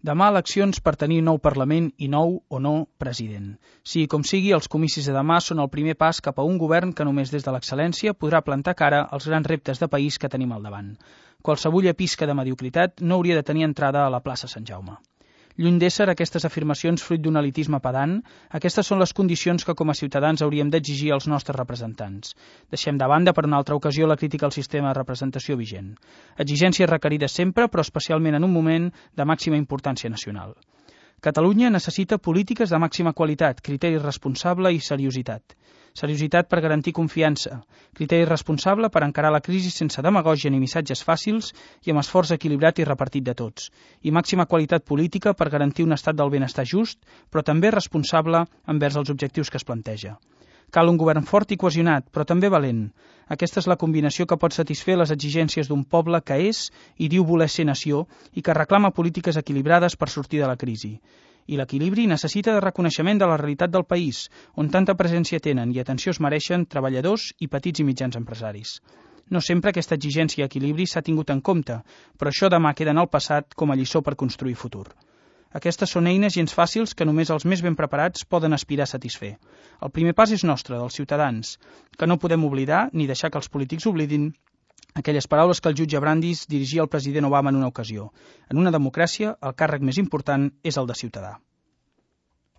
Demà eleccions per tenir nou Parlament i nou o no president. Sigui com sigui, els comicis de demà són el primer pas cap a un govern que només des de l'excel·lència podrà plantar cara als grans reptes de país que tenim al davant. Qualsevulla pisca de mediocritat no hauria de tenir entrada a la plaça Sant Jaume. Lluny d'ésser aquestes afirmacions fruit d'un elitisme pedant, aquestes són les condicions que com a ciutadans hauríem d'exigir als nostres representants. Deixem de banda per una altra ocasió la crítica al sistema de representació vigent. Exigències requerides sempre, però especialment en un moment de màxima importància nacional. Catalunya necessita polítiques de màxima qualitat, criteri responsable i seriositat. Seriositat per garantir confiança, criteri responsable per encarar la crisi sense demagògia ni missatges fàcils i amb esforç equilibrat i repartit de tots, i màxima qualitat política per garantir un estat del benestar just, però també responsable envers els objectius que es planteja. Cal un govern fort i cohesionat, però també valent. Aquesta és la combinació que pot satisfer les exigències d'un poble que és i diu voler ser nació i que reclama polítiques equilibrades per sortir de la crisi. I l'equilibri necessita de reconeixement de la realitat del país, on tanta presència tenen i atenció es mereixen treballadors i petits i mitjans empresaris. No sempre aquesta exigència i equilibri s'ha tingut en compte, però això demà queda en el passat com a lliçó per construir futur. Aquestes són eines gens fàcils que només els més ben preparats poden aspirar a satisfer. El primer pas és nostre, dels ciutadans, que no podem oblidar ni deixar que els polítics oblidin aquelles paraules que el jutge Brandis dirigia al president Obama en una ocasió. En una democràcia, el càrrec més important és el de ciutadà.